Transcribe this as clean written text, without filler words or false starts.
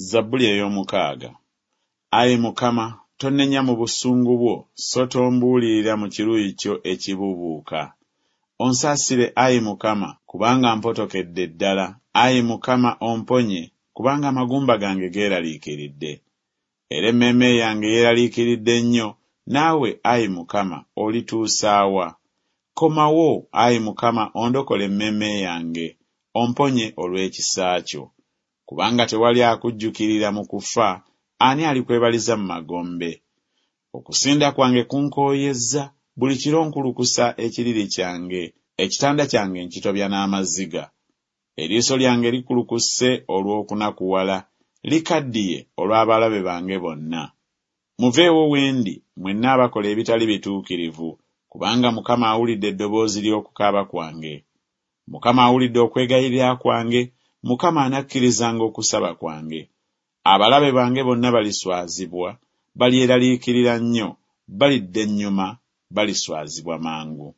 Zabbuli ey'omukaaga. Ayi Mukama, tonnenya mu busungu bwo, so tombuulirira mu kiruyi kyo ekibuubuuka. Onsaasire, ayi Mukama, kubanga mpotokedde ddala, ayi Mukama, omponye, kubanga amagumba gange geeraliikiridde. Era emmeeme yange yeeraliikiridde nnyo, naawe, ayi Mukama, olituusa wa? Komawo, ayi Mukama, ondokole emmeeme yange, omponye olw'ekisa kyo. Kubanga tewali akujjukirira mu kufa, ani alikwebaliza mu magombe? Okusinda kwange kunkooyezza, buli kiro nkulukusa ekiriri kyange, ekitanda kyange nkitobya n'amaziga. Eriiso lyange likulukuse olw'okunakuwala, likaddiye olw'abalabe bange bonna. Muveewo we ndi, mwenna abakola ebitali bituukirivu, kubanga Mukama awulidde eddoboozi ly'okukaaba kwange. Mukama awulidde okwegayirira kwange, Mukama anakkirizanga okusaba kwange. Abalabe bange bonna baliswazibwa, balyeraliikirira nnyo, balidda ennyuma, baliswazibwa mangu.